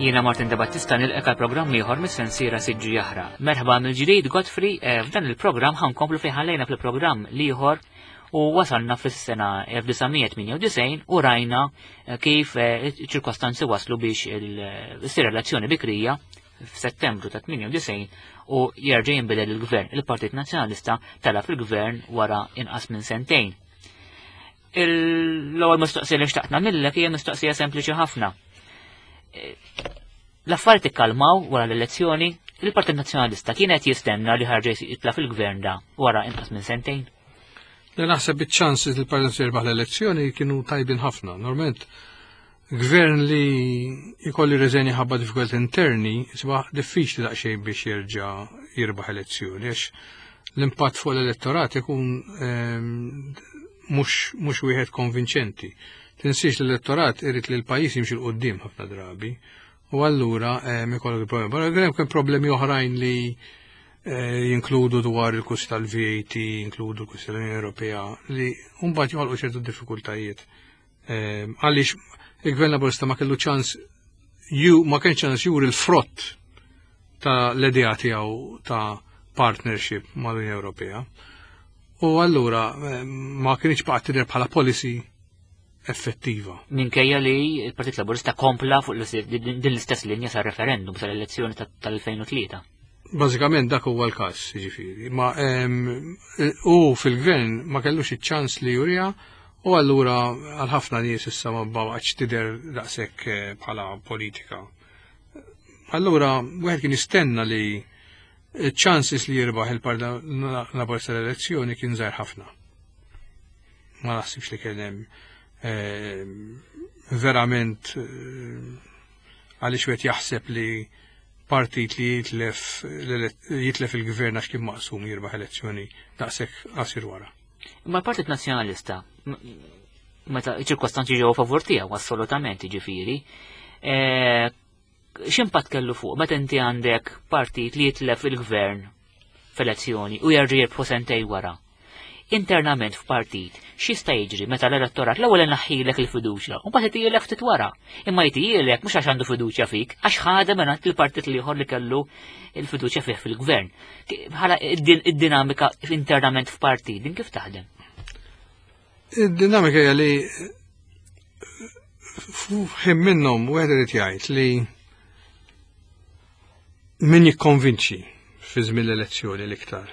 Jiena Martin De Battista nilqek għal programm ieħor mis-sensiera Siġġu Jaħraq. Merħba mill-ġdid Godfrey, eh, f'dan il-programm ħankomplu fejn ħallejna fil-programm l-ieħor u wasalna fis-sena 1998 u rajna eh, kif eh, ċirkostanzi waslu biex issir elezzjoni bikrija f'Settembru ta' 98 u jerġa' jinbidel il-gvern. Il-Partit Nazzjonalista tela fil-gvern wara inqas minn sentejn. L-ewwel mistoqsija li xtaqt nagħmillek hija mistoqsija sempliċi ħafna. Eh, l-affarijiet ikkalmaw wara l-elezzjoni, il-Partit Nazzjonalista kien qed jistenna li ħarġa jitla fil-gvern da wara inqas minn sentejn. Le naħseb iċ-ċansi li l-Partit jirbaħ l-elezzjoni kienu tajbin ħafna. Normalment gvern li jkolli reżenja ħabba diffikultajiet interni, isbaħ diffiċli daqsxejn biex jerġa' jirbaħ elezzjoni għax l-impatt fuq l-elettorat ikun ehm, mhux wieħed konvinċenti. Tinsiex l-elettorat irid li l-pajjiż jimxi 'l quddiem ħafna drabi. U allura ehm, ikollok il-problemi. Barra hemm problemi oħrajn li eh, jinkludu dwar il-kust tal-VAT, jinkludu l-kust tal-Unjoni Ewropea, li mbagħad joħolqu ċertu diffikultajiet. Ehm, għaliex il-Gvern Laburista ma kellu ċans ju ma kienx ċans juri l-frott ta' l-idea tiegħu ta' partnership mal-Unjoni Ewropea. U allura ehm, ma kienx baqgħet tidher bħala policy effettiva. Minkejja li il-Partit Laburista kompla fuq din l-istess linja sa' referendum sal-elezzjoni tal-2003. Bażikament dak huwa l-każ, jiġifieri. Ma ehm, u fil-gvern ma kellux iċ-ċans li jurija u allura għal ħafna nies issa ma baqgħetx tidher daqshekk eh, bħala politika. Allura wieħed kien jistenna li ċ-ċansis li jirbaħ il-Partit Laburista l-elezzjoni kien żgħir ħafna. Ma naħsibx li kien hemm eh, verament eh, għaliex wieħed jaħseb li partit li jitlef jitlef il-gvern għax kien maqsum jirbaħ elezzjoni daqshekk qasir wara. Imma l-Partit Nazzjonalista meta ċirkostanzi ġew favur tiegħu assolutament jiġifieri, e, x'impatt kellu fuq meta inti għandek partit li jitlef il-gvern f'elezzjoni u jerġa' jirbħu sentej wara. Internament f'partit, x'jista' jiġri meta l-elettorat l-ewwel inaħħilek il-fiduċja u mbagħad itielek ftit wara. Imma jtielek mhux għax għandu fiduċja fik, għax ħadem mingħand il-partit l-ieħor li kellu il-fiduċja fih fil-gvern. Bħala id-dinamika internament f'partit, din kif taħdem? Id-dinamika hija li ħin minnhom wieħed irid jgħid li min jikkonvinċi fi żmien l-elezzjoni l-iktar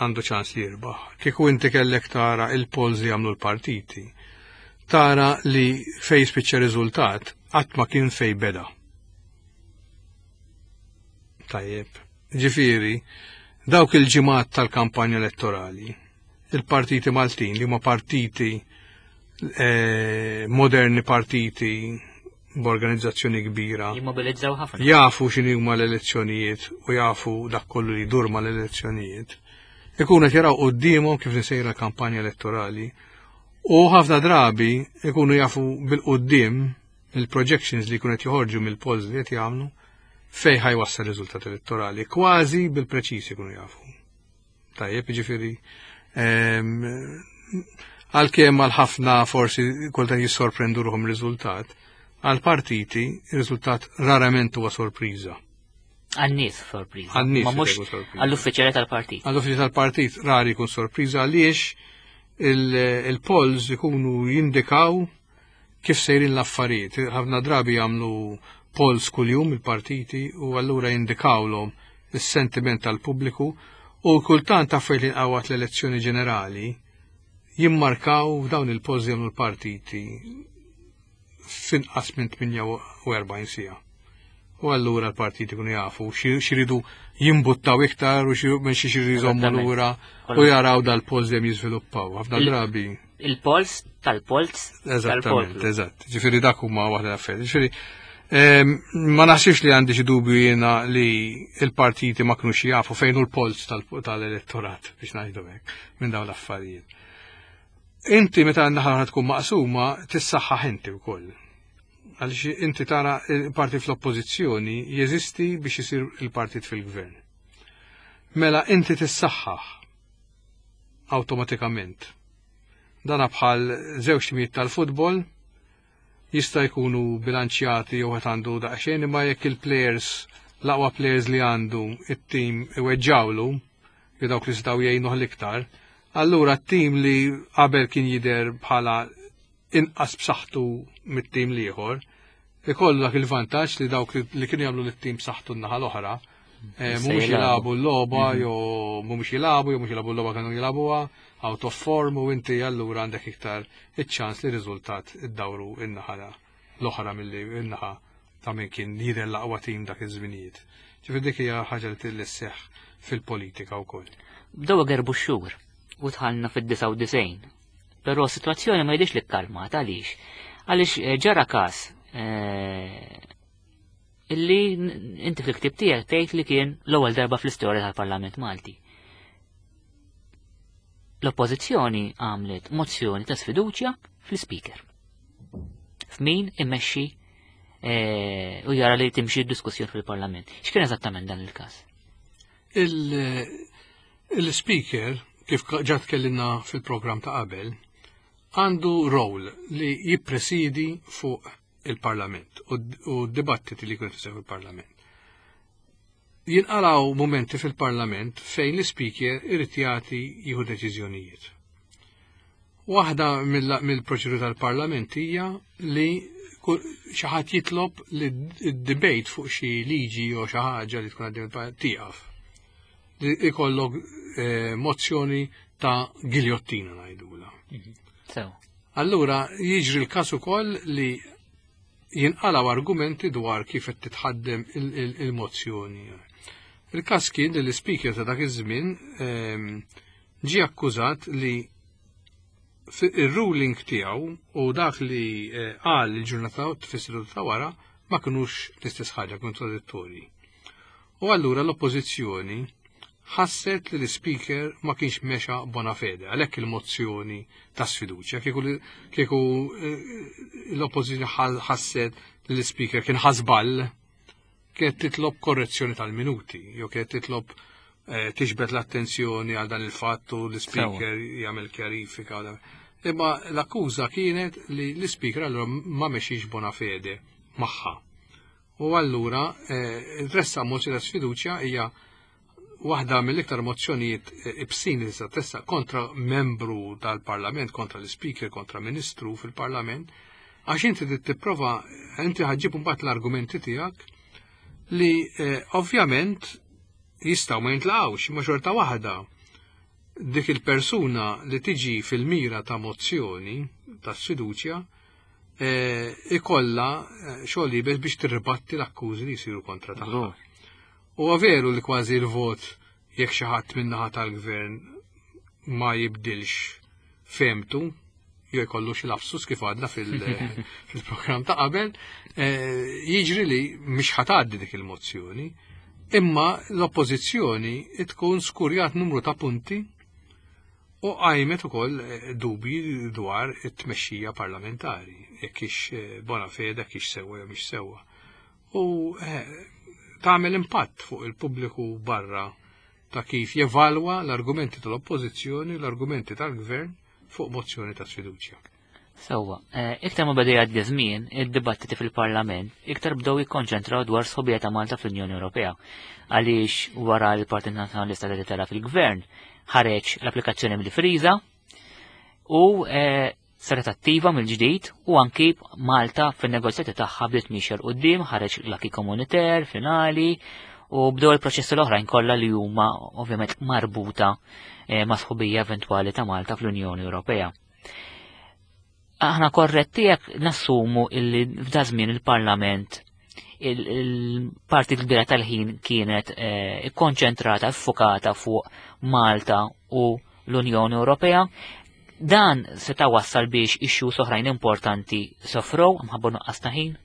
għandu ċans li jirbaħ. Kieku inti kellek tara il-polls li jagħmlu l-partiti, tara li fej spiċċa riżultat qatt ma kien fej beda. Tajjeb. Ġifieri, dawk il-ġimgħat tal-kampanja elettorali, il-partiti Maltin li huma partiti eh, moderni partiti b'organizzazzjoni kbira. Jimmobilizzaw ħafna. Jafu x'inhi huma l-elezzjonijiet u jafu dak kollu li jdur mal-elezzjonijiet. Ikunu qed jaraw quddiemhom kif sejra l-kampanja elettorali u ħafna drabi ikunu jafu bil-quddiem il-projections li jkunu qed joħorġu mill-polls li qed jagħmlu fejn ħajwassal riżultat elettorali, kważi bil-preċiż ikunu jafu. Tajjeb, jiġifieri ehm, għalkemm għal ħafna forsi kultant jissorprendu ruħhom riżultat, għal partiti ir-riżultat rarament huwa sorpriża. Għan-nies sorpriża. Għan-nies Ma mhux għall-uffiċjali tal-partit. Għall-uffiċjali tal-partit rari jkun sorpriża għaliex il-polls ikunu jindikaw kif sejrin l-affarijiet. Ħafna drabi jagħmlu polls kuljum il-partiti u allura jindikawlhom is-sentiment tal-pubbliku u kultant affarijiet li nqawat l-elezzjoni ġenerali jimmarkaw f'dawn il-polls li jagħmlu l-partiti finqas minn 48 siegħa. U allura l-partiti kunu jafu xiridu jimbuttaw iktar u minn xi xiridu jżommu lura u jaraw dal-polls dejjem jiżviluppaw. Ħafna drabi. Il-polls tal-polls. Eżattament, eżatt. Ġifieri dak huma waħda l-affarijiet. Ġifieri ehm, ma naħsibx li għandi xi dubju jiena li l-partiti ma kinux jafu fejn hu l-polls tal-elettorat biex ngħidu hekk minn dawn l-affarijiet. Inti meta naħa tkun maqsuma tissaħħaħ inti wkoll. Għaliex inti tara il-partit fl-oppożizzjoni jeżisti biex isir il-partit fil-gvern. Mela inti tissaħħaħ awtomatikament. Dana bħal żewġ timijiet tal-futbol. Jista' jkunu bilanċjati jew qed għandu daqsxejn imma jekk il-players l-aqwa players li għandu it-tim iweġġawlu, jew dawk li setgħu jgħinuh l-iktar, allura t-tim li qabel kien jidher bħala inqas b'saħħtu mit-tim l-ieħor, ikollu dak il-vantaġġ li dawk li kienu jagħmlu lit-tim b'saħħtu n-naħa l-oħra, eh, mhumiex jilagħbu l-logħba mhm. jew mhumiex jilagħbu jew mhux jilagħbu l-logħba kienu jilagħbuha out of form u inti allura għandek iktar iċ-ċans li riżultat iddawru in-naħa l-oħra milli n-naħa ta' min kien jidher l-aqwa tim dak iż-żminijiet. Ġifier dik hija ħaġa li tillisseħ fil-politika wkoll. Bdew gerbu x-xhur u dħalna fid-99. Però s-sitwazzjoni ma jidhirx li kkalmat għaliex. Għaliex eh, ġara każ eh, illi inti fil-ktib tiegħek tgħid li kien l-ewwel darba fl-istorja tal-Parlament Malti. L-oppożizzjoni għamlet mozzjoni ta' sfiduċja fl-speaker. F'min immexxi eh, u jara li timxi d-diskussjoni fil-Parlament. X'kien eżattament dan il-każ? Il-speaker, kif ġa tkellimna fil-programm ta' qabel, għandu rol li jippresidi fuq il-Parlament u d-dibattiti li jkunu jseħħu fil-Parlament. Jinqalgħu momenti fil-Parlament fejn l-speaker irid jagħti jieħu deċiżjonijiet. Waħda mill-proċedura tal-Parlament hija li xi ħadd jitlob li d-debate fuq xi liġi jew xi ħaġa li tkun għaddej tieqaf. Li ikollok eh, mozzjoni ta' giljottina ngħidula. Mhm. Allura jiġri l-każ ukoll li jinqalgħu argumenti dwar kif qed titħaddem il-mozzjoni. Il-każ kien li l-ispeaker ta' dak iż-żmien ehm, ġie akkużat li ir-ruling tiegħu u dak li eh, qal il-ġurnata tfissru ta' wara ma kinux l-istess ħaġa kontradittorji. U allura l-oppożizzjoni ħasset li l-Speaker ma kienx mexa bona fede, għalhekk il-mozzjoni ta' sfiduċja. Kieku eh, l-oppożizzjoni ħasset li l-Speaker kien ħażball, kienet titlob korrezzjoni tal-minuti, jew kienet titlob eh, tiġbed l-attenzjoni għal dan il-fatt u l-Speaker jagħmel kjarifika. Imma l-akkuża kienet li l-Speaker allura ma mexiex bona fede magħha. U allura eh, tressaq mozzjoni ta' sfiduċja hija waħda mill-iktar mozzjonijiet eh, ibsin li tista' tressaq kontra membru tal-Parlament, kontra l-Speaker, kontra Ministru fil-Parlament, għax inti trid tipprova inti ħaġġib mbagħad l-argumenti tiegħek li eh, ovvjament jistgħu ma jintlaqgħux imma xorta waħda dik il-persuna li tiġi fil-mira ta' mozzjoni ta' sfiduċja Eh, ikolla eh, xogħol iebes biex tirribatti l-akkużi li jsiru kontra tagħha. U veru li kważi l-vot jekk xi ħadd min-naħa tal-gvern ma jibdilx femtu jew jkollu xi lapsus kif għadna fil-programm ta' qabel, eh, jiġri li mhix ħatgħaddi dik il-mozzjoni, imma l-oppożizzjoni tkun skurjat numru ta' punti U qajmet ukoll eh, dubji dwar it-tmexxija parlamentari, jekk hix eh, bona fede, jekk hix sewwa jew mhix sewwa. U eh, tagħmel impatt fuq il-pubbliku barra ta' kif jevalwa l-argumenti tal-oppożizzjoni, l-argumenti tal-gvern fuq mozzjoni ta' sfiduċja. Sewwa, eh, iktar ma beda jgħaddi żmien, id-dibattiti fil-Parlament iktar bdew jikkonċentraw dwar sħobija ta' Malta fl-Unjoni Ewropea. Għaliex wara l-Partit Nazzjonalista li tela fil-Gvern ħareġ l-applikazzjoni mill-friża u eh, saret attiva mill-ġdid u anki Malta fin-negozjati tagħha bdiet miexja 'l quddiem, ħareġ l-acquis communautaire finali u bdew il-proċessi l-oħrajn kollha li huma ovvjament marbuta eh, ma' sħubija eventwali ta' Malta fl-Unjoni Ewropea. Aħna korretti jekk nassumu illi f'da żmien il-Parlament il-parti kbira tal-ħin kienet eh, ikkonċentrata, ffukata fuq Malta u l-Unjoni Ewropea. Dan seta' wassal biex issues oħrajn importanti sofrow mħabba nuqqas ta' ħin?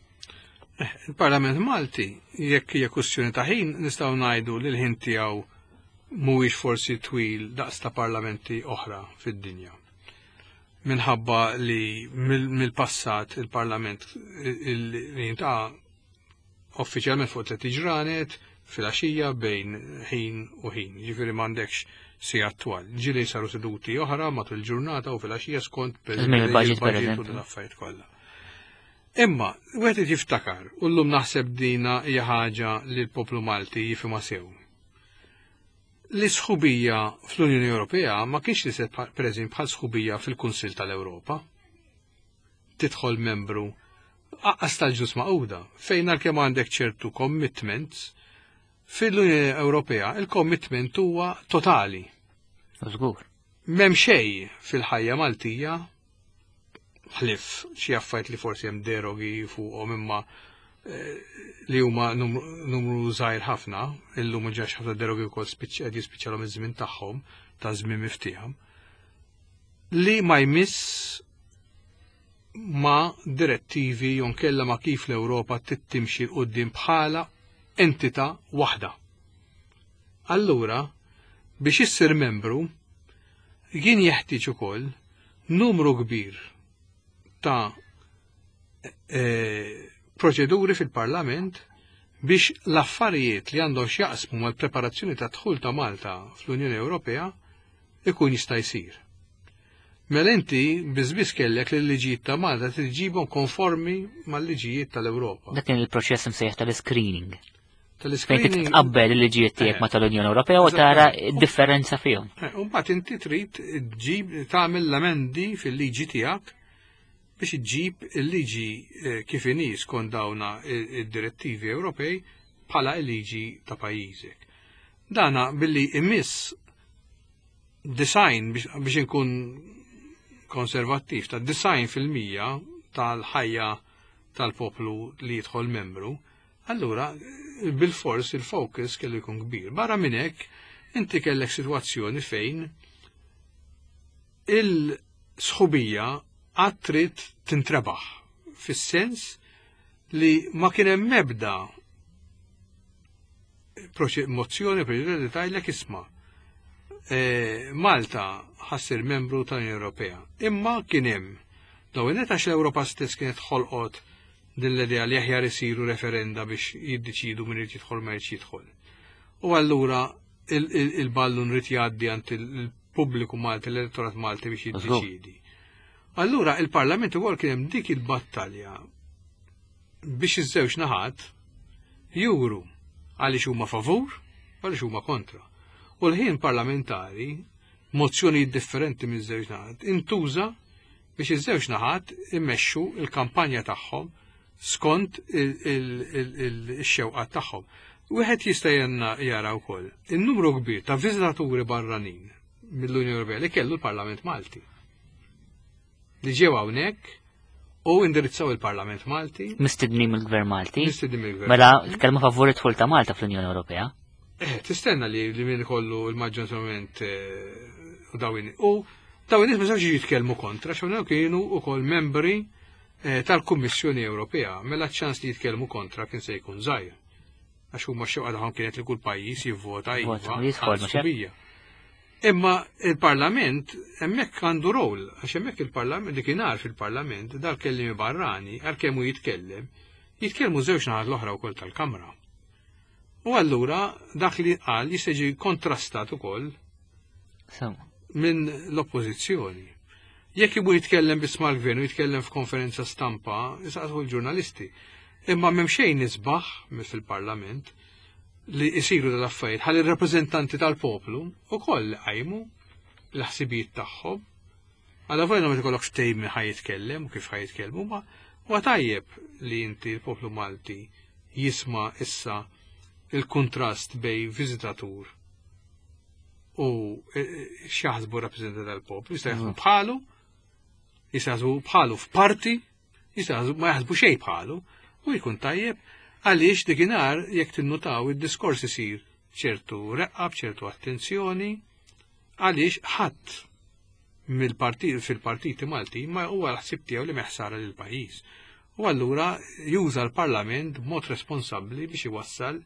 Eh, il-Parlament Malti, jekk hija kwestjoni ta' ħin, nistgħu ngħidu li l-ħin tiegħu mhuwiex forsi twil daqs ta' parlamenti oħra fid-dinja. Minħabba li mill-passat il-Parlament li jintaqa' uffiċjalment fuq tliet ġranet fil-għaxija bejn ħin u ħin. Ġifieri m'għandekx sigħat twal. Ġieli saru seduti oħra matul il-ġurnata u fil-għaxija skont il-budget u l-affarijiet kollha. Imma, wieħed irid jiftakar, u llum naħseb dina hija ħaġa li l-poplu Malti jifhimha sew. Li sħubija fl-Unjoni Ewropea ma kienx li se pereżempju bħal sħubija fil-Kunsill tal-Ewropa. Tidħol membru aqqas tal-Ġnus Magħquda, fejn għalkemm għandek ċertu commitments, fil-Unjoni Ewropea il-commitment huwa totali. Żgur. M'hemm xejn fil-ħajja Maltija ħlif xi affarijiet li forsi hemm derogi fuqhom imma eh, li huma numru żgħir ħafna, illum ġax ħafna derogi wkoll qed jispiċċalhom iż-żmien tagħhom ta' żmien miftieħam, li ma jmiss ma' direttivi jew nkella ma' kif l-Ewropa tittimxi 'l quddiem bħala entità waħda. Allura, biex issir membru, kien jeħtieġ ukoll numru kbir ta' e, proċeduri fil-Parlament biex l-affarijiet li għandhom x'jaqsmu mal-preparazzjoni ta' dħul ta' Malta fl-Unjoni Ewropea ikun jista' jsir. Mela inti biżbiss kellek li l-liġijiet ta' Malta tiġibhom konformi mal-liġijiet tal-Ewropa. Dak kien il-proċess imsejjaħ tal-screening. Fejn trid tqabbel il-liġijiet tiegħek ma tal-Unjoni Ewropea u tara d-differenza fihom. Eh, u mbagħad inti trid ġib tagħmel l-amendi fil-liġi tiegħek biex iġġib il-liġi eh, kif inhi skont dawna id-direttivi Ewropej bħala il-liġi ta' pajjiżek. Dana billi imiss design biex inkun konservattiv ta' 90% tal-ħajja tal-poplu li jidħol membru, allura bil-fors il-focus kellu jkun kbir. Barra minn hekk, inti kellek sitwazzjoni fejn il-sħubija għad trid tintrebaħ fis-sens li ma kien hemm ebda mozzjoni proċedura li tgħidlek isma' e, Malta ħassir membru tal-Unjoni Ewropea. Imma kien hemm dawn għax l-Ewropa stess kienet ħolqot din l-idea li aħjar isiru referenda biex jiddeċidu min irid jidħol ma jridx jidħol. U allura il-ballun rid jgħaddi għand il-pubbliku Malti, l-elettorat Malti biex jiddeċidi. Allura il-Parlament ukoll kien hemm dik il-battalja biex iż-żewġ naħat juru għaliex huma favur għaliex huma kontra. U l-ħin parlamentari, mozzjonijiet differenti miż-żewġ naħat, intuża biex iż-żewġ naħat immexxu il-kampanja tagħhom skont il-xewqat tagħhom. Wieħed jista' jenna jara wkoll in-numru kbir ta' viżitaturi barranin mill-Unjoni Ewropea li kellu l-Parlament Malti. Li ġew hawnhekk u indirizzaw il-Parlament Malti. Mistednin mill-Gvern Malti. Mistednin mill-Gvern. Mela tkellmu favur id-dħul ta' Malta fl-Unjoni Ewropea. Eh, tistenna li li min kollu il-maġġorament eh, u dawin. U dawin nies ma sawx jitkellmu kontra, x'hawn kienu wkoll membri eh, tal-Kummissjoni Ewropea, mela ċans li jitkellmu kontra kien se jkun żgħir. Għax huma x-xewqa tagħhom kienet li kull pajjiż jivvota iva għal Imma il-Parlament hemmhekk għandu rol, għax hemmhekk il-Parlament dik fil-Parlament dal-kellimi barrani għalkemm hu jitkellem, jitkellmu żewġ naħat l-oħra wkoll tal-Kamra. U allura dak li qal jista' jiġi kontrastat ukoll minn l-oppożizzjoni. Jekk ibu jitkellem biss mal-gvern u jitkellem f'konferenza stampa, jisaqsu l-ġurnalisti. Imma m'hemm xejn isbaħ fil-Parlament li jisiru dal-affarijiet ħalli r-rappreżentanti tal-poplu ukoll qajmu l-ħsibijiet tagħhom. Għala volja ma tkollokx ftehim min ħaj jitkellem u kif ħaj jitkellmu, ma huwa tajjeb li inti l-poplu Malti jisma' issa il-kuntrast bej viżitatur u e, e, x'jaħsbu rappreżentanti tal-poplu, jista' jaħsbu bħalu, jista' jaħsbu bħalu f'parti, jista' ma jaħsbu xejn bħalu, u jkun tajjeb għaliex dikinhar jekk tinnutaw id-diskors isir ċertu reqqa b'ċertu attenzjoni għaliex ħadd mill-partit fil-partiti Malti ma huwa l-ħsieb tiegħu li meħsara lil pajjiż. U allura juża l-Parlament b'mod responsabbli biex iwassal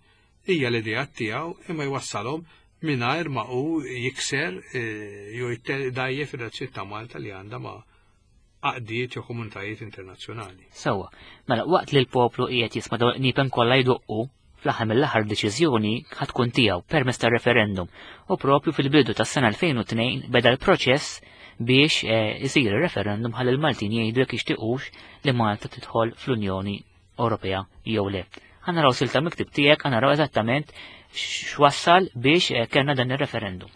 hija l-idea tiegħu imma jwassalhom mingħajr ma hu jikser eh, jew jdajjef ir-razzjiet ta' Malta li għandha ma' għaqdiet jew komunitajiet internazzjonali. Sewwa, mela waqt li l-poplu qiegħed jisma' dawn il-qniepen kollha jdoqqu, fl-aħħar mill-aħħar deċiżjoni ħa tkun tiegħu permezz tar-referendum u propju fil-bidu tas-sena 2002 beda l-proċess biex eh, isir referendum ħalli l-Maltin jgħidu jekk jixtiequx li Malta tidħol fl-Unjoni Ewropea jew le. Ħa naraw silta miktib tiegħek, ħa naraw eżattament x'wassal biex eh, kellna dan ir-referendum.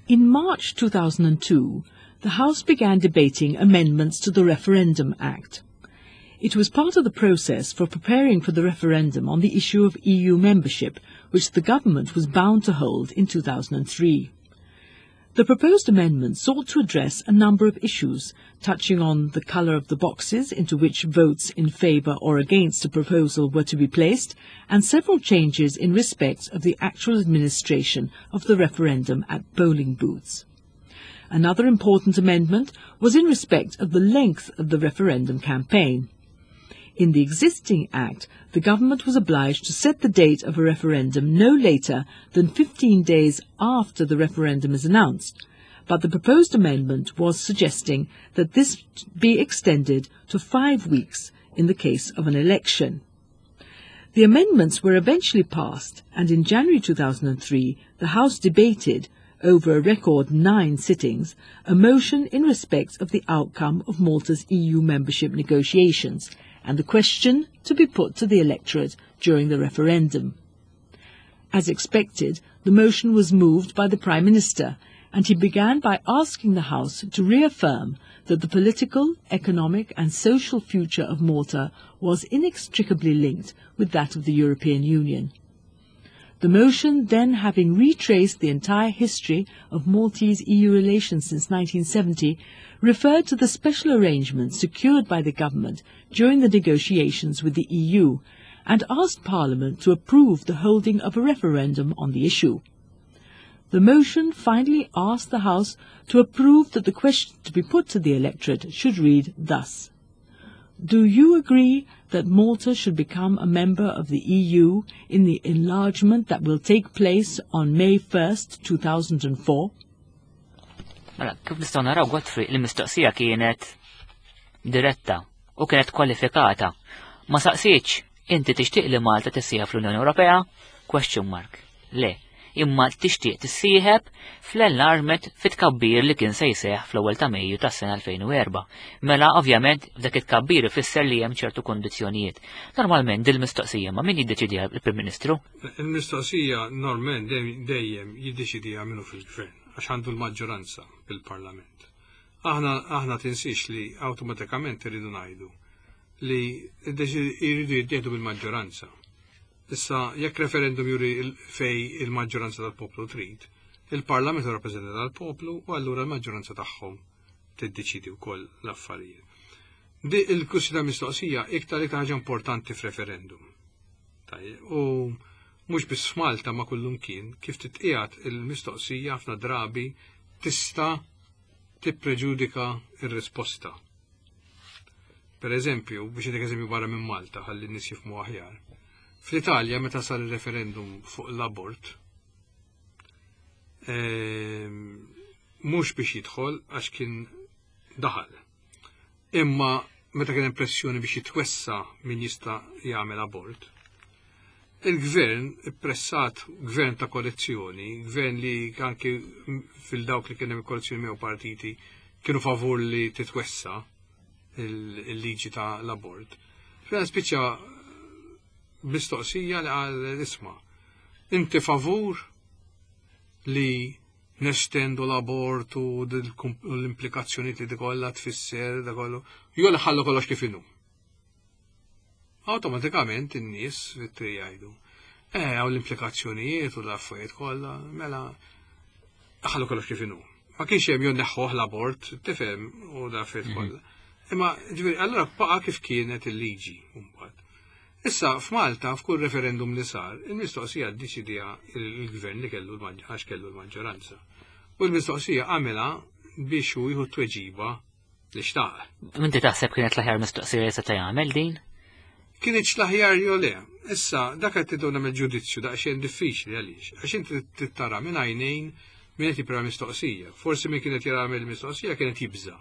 In March 2002, the House began debating amendments to the Referendum Act. It was part of the process for preparing for the referendum on the issue of EU membership, which the government was bound to hold in 2003. The proposed amendment sought to address a number of issues, touching on the colour of the boxes into which votes in favour or against a proposal were to be placed, and several changes in respect of the actual administration of the referendum at polling booths. Another important amendment was in respect of the length of the referendum campaign. In the existing Act, the government was obliged to set the date of a referendum no later than 15 days after the referendum is announced, but the proposed amendment was suggesting that this be extended to 5 weeks in the case of an election. The amendments were eventually passed, and in January 2003 the House debated, over a record nine sittings, a motion in respect of the outcome of Malta's EU membership negotiations and the question to be put to the electorate during the referendum. As expected, the motion was moved by the Prime Minister, and he began by asking the House to reaffirm that the political, economic and social future of Malta was inextricably linked with that of the European Union. The motion then, having retraced the entire history of Maltese EU relations since 1970, referred to the special arrangements secured by the government during the negotiations with the EU and asked Parliament to approve the holding of a referendum on the issue. The motion finally asked the House to approve that the question to be put to the electorate should read thus: "Do you agree that Malta should become a member of the EU in the enlargement that will take place on May 1st, 2004?" Mela, kif nistgħu naraw, Godfrey, il-mistoqsija kienet diretta u kienet kwalifikata. Ma saqsitx, "Inti tixtieq li Malta tissieħeb fl-Unjoni Ewropea?" Question mark. Le, imma tixtieq tissieħeb fl-enlargement, fit-tkabbir li kien se jseħ fl-ewwel ta' Mejju tas-sena 2004. Mela ovvjament f'dak it-tkabbir ifisser li hemm ċertu kondizzjonijiet. Normalment dil-mistoqsija ma min jiddeċidiha, il-Prim Ministru? Il-mistoqsija normalment dejjem jiddeċidiha minnu fil-gvern għax għandu l-maġġoranza fil-parlament. Aħna tinsix li awtomatikament irridu ngħidu li jridu jittieħdu bil-maġġoranza. Issa, jekk referendum juri fej il-maġġoranza tal-poplu trid, il-parlament hu rappreżentat tal-poplu u allura l-maġġoranza tagħhom tiddeċidi wkoll l-affarijiet. Di il-kwistjoni ta' mistoqsija iktar iktar ħaġa importanti f'referendum. Tajjeb, u mhux biss f'Malta ma kullum kien, kif titqiegħed il-mistoqsija ħafna drabi tista' tippreġudika ir-risposta. Per eżempju, biex ngħidlek eżempju barra minn Malta ħalli n-nies jifhmu aħjar. Fl-Italja meta sar il-referendum fuq l-abort, mhux biex jidħol għax kien daħal. Imma meta kien hemm pressjoni biex jitwessa min jista' jagħmel abort, il-gvern ippressat, gvern ta' koalizzjoni, gvern li anki fil-dawk li kien hemm koalizzjoni miegħu partiti kienu favur li titwessa il-liġi ta' l-abort. Fejn spiċċa mistoqsija li qal, "Isma', inti favur li nestendu l-abort u l-implikazzjoni li kollha tfisser da kollu, jew li ħallu kollox kif inhu?" Awtomatikament in-nies fit-triq jgħidu, "Hawn l-implikazzjonijiet u l-affarijiet kollha, mela ħallu kollox kif inhu." Ma kienx hemm jew neħħuh l-abort, tifhem, u l-affarijiet kollha. Imma ġifieri allura baqa' kif kienet il-liġi mbagħad. Issa f'Malta f'kull referendum li sar, il-mistoqsija ddeċidiha il-gvern li kellu għax kellu l-maġġoranza. U l-mistoqsija għamilha biex hu jieħu tweġiba li xtaq. Inti taħseb kienet l-aħjar mistoqsija li seta' jagħmel din? Kienet l-aħjar jew le. Issa, dak qed tiddu nagħmel ġudizzju daqsxejn diffiċli għaliex. Għax inti tittara minn għajnejn min qed jipra mistoqsija. Forsi min kienet jara mill-mistoqsija kienet jibża'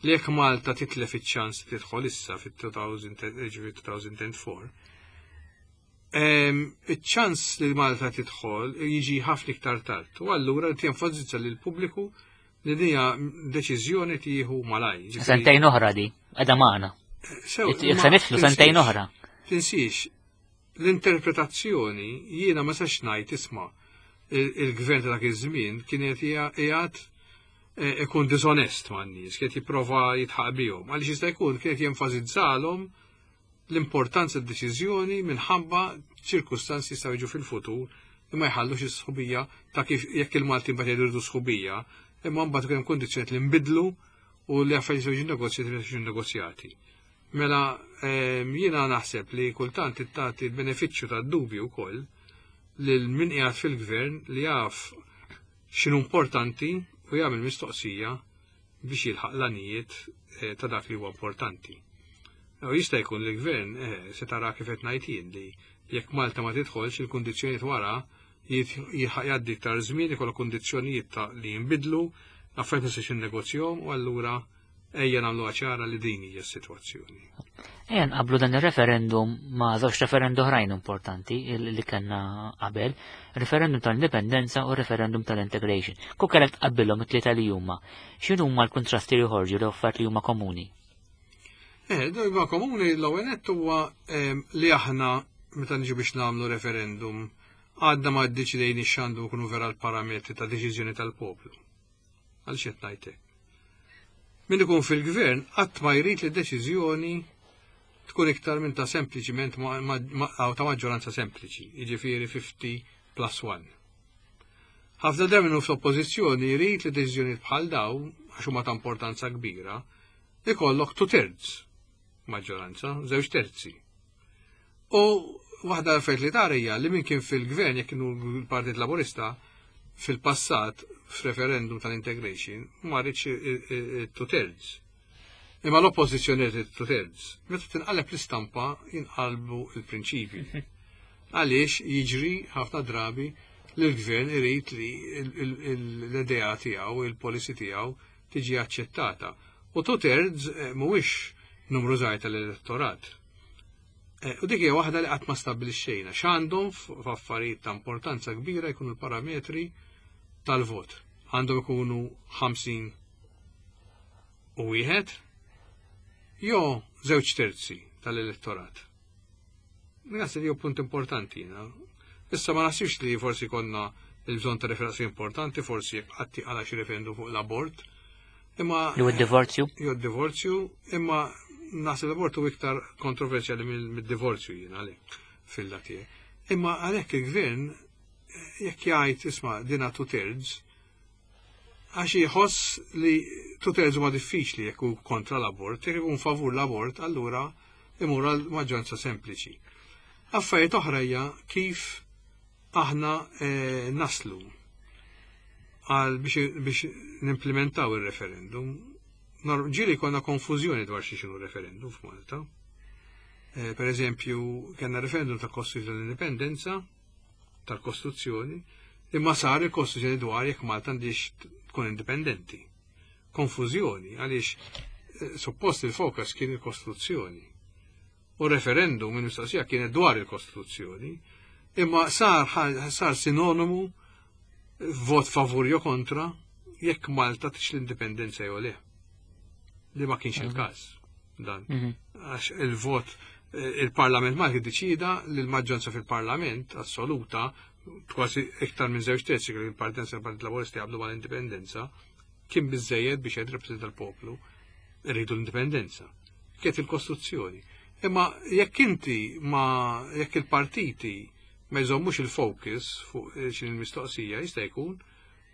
li jekk Malta titlef iċ-ċans tidħol issa fit-2004, iċ-ċans li Malta tidħol jiġi ħafna iktar tard. U allura jenfasizza lil pubbliku. Li dija deċiżjoni tieħu malaj. Sentejn oħra di, għadha magħna. Jekk se nidħlu sentejn oħra. Tinsiex, l-interpretazzjoni jiena ma sax ngħid isma' il-gvern ta' dak iż-żmien kien qed qiegħed eh, ikun disonest man nies, kien jipprova jitħaq bihom, għaliex jista' jkun kien qed jenfasizzalhom l-importanza d-deċiżjoni minħabba ċirkustanzi jistgħu jiġu fil-futur li ma jħallux is-sħubija ta' kif jekk il-Maltin bad jgħidu sħubija, imma mbagħad ikun hemm kundizzjonijiet li nbidlu u li affarijiet jiġu negozjati li jiġu negozjati. Mela jiena naħseb li kultant tagħti l-benefiċċju tad-dubju wkoll lil min qiegħed fil-gvern li jaf x'inhu importanti u jagħmel mistoqsija biex jilħaq l-għanijiet eh, ta' dak li huwa importanti. U jista' jkun li l-gvern eh, se tara kif qed ngħid jien li jekk Malta ma tidħolx il-kundizzjonijiet wara jilħaq jgħaddi iktar żmien ikollok kundizzjonijiet ta' li jinbidlu, affarijiet ma jistax jinnegozjahom u allura ejja nagħmluha ċara li din hija s-sitwazzjoni. Ejja nqablu dan ir-referendum ma' żewġ referendum oħrajn importanti li kellna qabel, referendum tal-indipendenza u referendum tal-integration. Ku kellek tqabbilhom it-tlieta li huma. X'inhu huma l-kuntrasti li joħorġu li affarijiet li huma komuni? Eh, huma komuni l-ewwel nett huwa ehm, li aħna meta niġu biex nagħmlu referendum għadna ma ddeċidejni x'għandu jkunu vera l-parametri ta' deċiżjoni tal-poplu. Għaliex qed ngħid hekk? Min ikun fil-gvern qatt ma jrid li deċiżjoni tkun iktar minn ta' sempliċiment ta' maġġoranza sempliċi, jiġifieri 50 plus 1. Ħafna drabi minnu fl-oppożizzjoni jrid li deċiżjonijiet bħal daw, għax huma ta' importanza kbira, ikollok two thirds maġġoranza, żewġ terzi. U waħda l-affarijiet li tara hija li min kien fil-gvern jekk kienu l-Partit Laburista fil-passat f'referendum tal-integration ma rridx two thirds. Imma l-oppożizzjoni rrid two thirds. Meta tinqaleb l-istampa jinqalbu l-prinċipji. Għaliex jiġri ħafna drabi li l-gvern irid li l-idea tiegħu, il-policy tiegħu tiġi aċċettata. U two thirds eh, mhuwiex numru żgħir tal-elettorat. Eh, u dik hija waħda li qatt ma stabbilixxejna x'għandhom f'affarijiet ta' importanza kbira jkunu l-parametri tal-vot. Għandhom ikunu 50 u wieħed jew żewġ terzi tal-elettorat. Naħseb li punt importanti jiena. Issa ma naħsibx li forsi konna il-bżonn ta' referenzi importanti, forsi jekk qatt għala xi referendum fuq l-abort. Imma Jew id-divorzju. Jew id-divorzju, imma naħseb l-abort hu iktar kontroversjali mid-divorzju jiena li fil-lati. Imma għalhekk il-gvern jekk jgħid isma' dina two thirds, għax jħoss li two thirds huma diffiċli jekk hu kontra l-abort, jekk ikun favur l-abort, allura imur għal maġġoranza sempliċi. Affarijiet oħra hija kif aħna eh, naslu għal biex nimplementaw il-referendum. Ġieli konna konfużjoni dwar xi xinu referendum f'Malta. Eh, per eżempju, kellna referendum ta' Kostituzzjoni tal-Indipendenza, tal-Kostituzzjoni, imma sar il-Kostituzzjoni dwar jekk Malta għandix tkun indipendenti. Konfużjoni għaliex eh, suppost il-fokus kien il-Kostituzzjoni. U referendum il-mistoqsija kienet dwar il-Kostituzzjoni, imma sar, sar sinonimu vot favur jew kontra jekk Malta tix l-indipendenza jew le. Li ma kienx il-każ dan. Mhm. Għax il-vot eh, il-Parlament Malti deċida li l-maġġoranza fil-Parlament assoluta kważi iktar minn żewġ terzi kien il-Partit Partit Laburista jaqblu mal-indipendenza, kien biżejjed biex jgħid rappreżenta l-poplu rridu l-indipendenza. Kienet il-Kostituzzjoni. Imma jekk inti ma jekk il-partiti ma jżommux il-focus fuq xin il-mistoqsija jista' jkun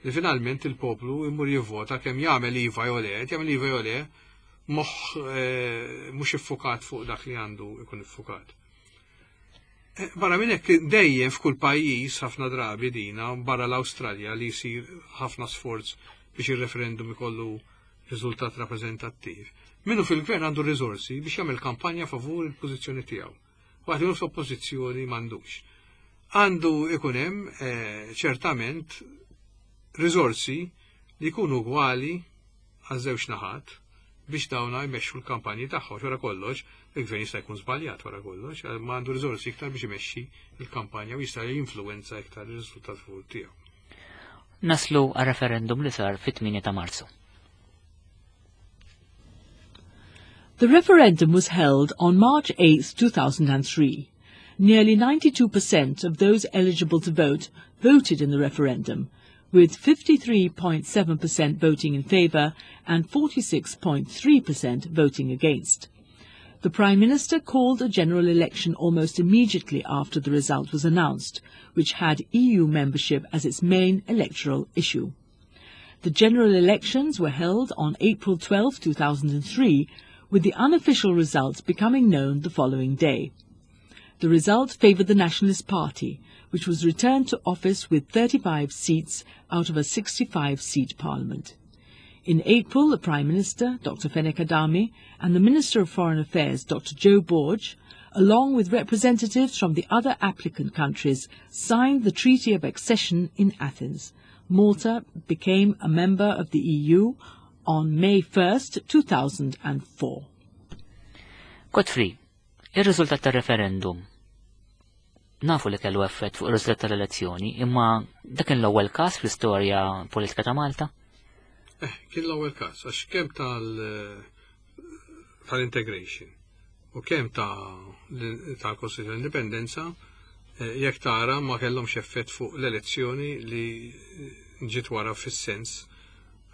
li finalment il-poplu imur jivvota kemm jagħmel iva jew le, jagħmel iva jew le, moħħ eh, mhux iffukat fuq dak li għandu jkun iffukat. Eh, barra minn hekk dejjem f'kull pajjiż ħafna drabi dina barra l-Awstralja li jsir ħafna sforz biex ir-referendum ikollu riżultat rappreżentattiv. Minnu fil-gvern għandu riżorsi biex jagħmel kampanja favur il-pożizzjoni tiegħu. Waqt li fl-oppożizzjoni m'għandux. Għandu ikun hemm eh, ċertament riżorsi li jkunu ugwali għaż-żewġ naħat biex dawna jmexxu l-kampanji tagħhom. Wara kollox, il-gvern jista' jkun żbaljat wara kollox, ma għandu riżorsi iktar biex imexxi l-kampanja u jista' jinfluwenza iktar ir-riżultat favur tiegħu. Naslu għal referendum li sar fit-8 ta' Marzu. The referendum was held on March 8, 2003. Nearly 92% of those eligible to vote voted in the referendum, with 53.7% voting in favour and 46.3% voting against. The Prime Minister called a general election almost immediately after the result was announced, which had EU membership as its main electoral issue. The general elections were held on April 12, 2003, with the unofficial results becoming known the following day. The result favoured the Nationalist Party, which was returned to office with 35 seats out of a 65-seat parliament. In April, the Prime Minister, Dr. Fenech Adami, and the Minister of Foreign Affairs, Dr. Joe Borg, along with representatives from the other applicant countries, signed the Treaty of Accession in Athens. Malta became a member of the EU on May 1st, 2004. Godfrey, ir-riżultat tar-referendum nafu li kellu effett fuq ir-riżultat tal-elezzjoni, imma dak kien l-ewwel każ fl-istorja politika ta' Malta? Eh, kien l-ewwel każ, għax kemm tal tal-integration u kemm ta' tal-Kostituzzjoni Indipendenza eh, jekk tara ma kellhomx effett fuq l-elezzjoni li ġiet wara fis-sens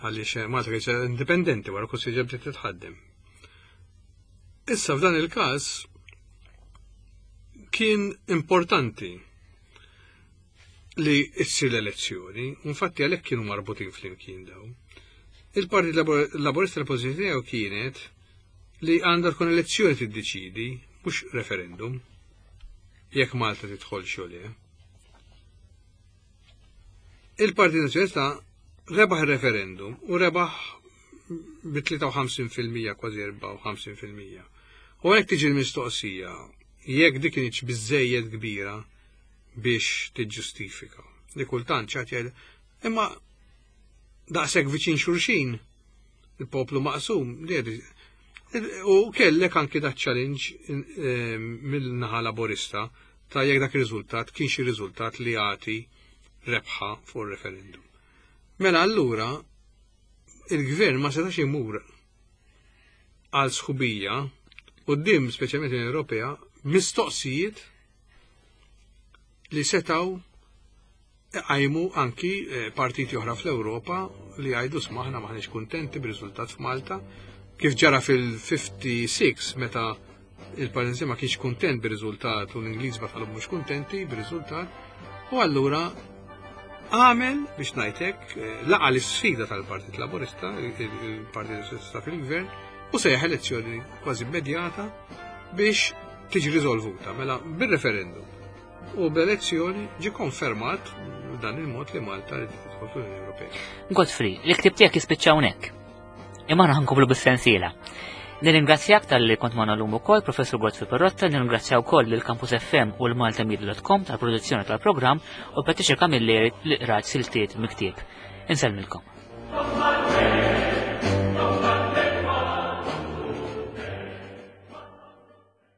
għaliex eh, Malta kienet indipendenti wara Kostituzzjoni bdiet titħaddem. Issa f'dan il-każ kien importanti li issir l-elezzjoni, infatti għalhekk kienu marbutin flimkien daw. Il-Partit Laburista l-pożizzjoni tiegħu kienet li għandha tkun elezzjoni tiddeċidi, mhux referendum, jekk Malta tidħol xogħol. Il-Partit Nazzjonalista rebaħ il-referendum u rebaħ bi 53% kważi 54%. U għalhekk tiġi l-mistoqsija jekk dik kienx biżejjed kbira biex tiġġustifika. Li kultant ċat jgħid imma daqshekk viċin xulxin il-poplu maqsum li u kellek anki da challenge eh, mill-naħa laborista ta' jekk dak ir-riżultat kien xi riżultat li jagħti rebħa fuq ir-referendum. Mela allura il-gvern ma setax imur għal sħubija quddiem speċjalment l-Unjoni Ewropea mistoqsijiet li setaw iqajmu anki eh, partiti oħra fl-Ewropa li jgħidu smaħna maħniex kuntenti bir-riżultat f'Malta kif ġara fil-56 meta il-Partit ma kienx kuntent bir-riżultat u l-Ingliż batalhom mhux kuntenti bir-riżultat u allura għamel biex ngħidlek eh, laqa l-isfida tal-Partit Laburista, il-Partit Laburista fil-Gvern, u sejjaħ elezzjoni kważi immedjata biex tiġi riżolvuta mela bir-referendum. U bl-elezzjoni ġi konfermat dan il-mod li Malta li tidħol fl-Unjoni Ewropea. Godfrey, l-ktib tiegħek jispiċċa hawnhekk. Imma aħna ħankomplu bis-sensiela. Nirringrazzjak tal-li kont magħna llum ukoll, Professur Godfrey Perrotta, nirringrazzja wkoll lil Campus FM u l-Maltamedia.com tal-produzzjoni tal-programm u Patricia Camilleri li qrat siltiet miktieb. Insellmilkom.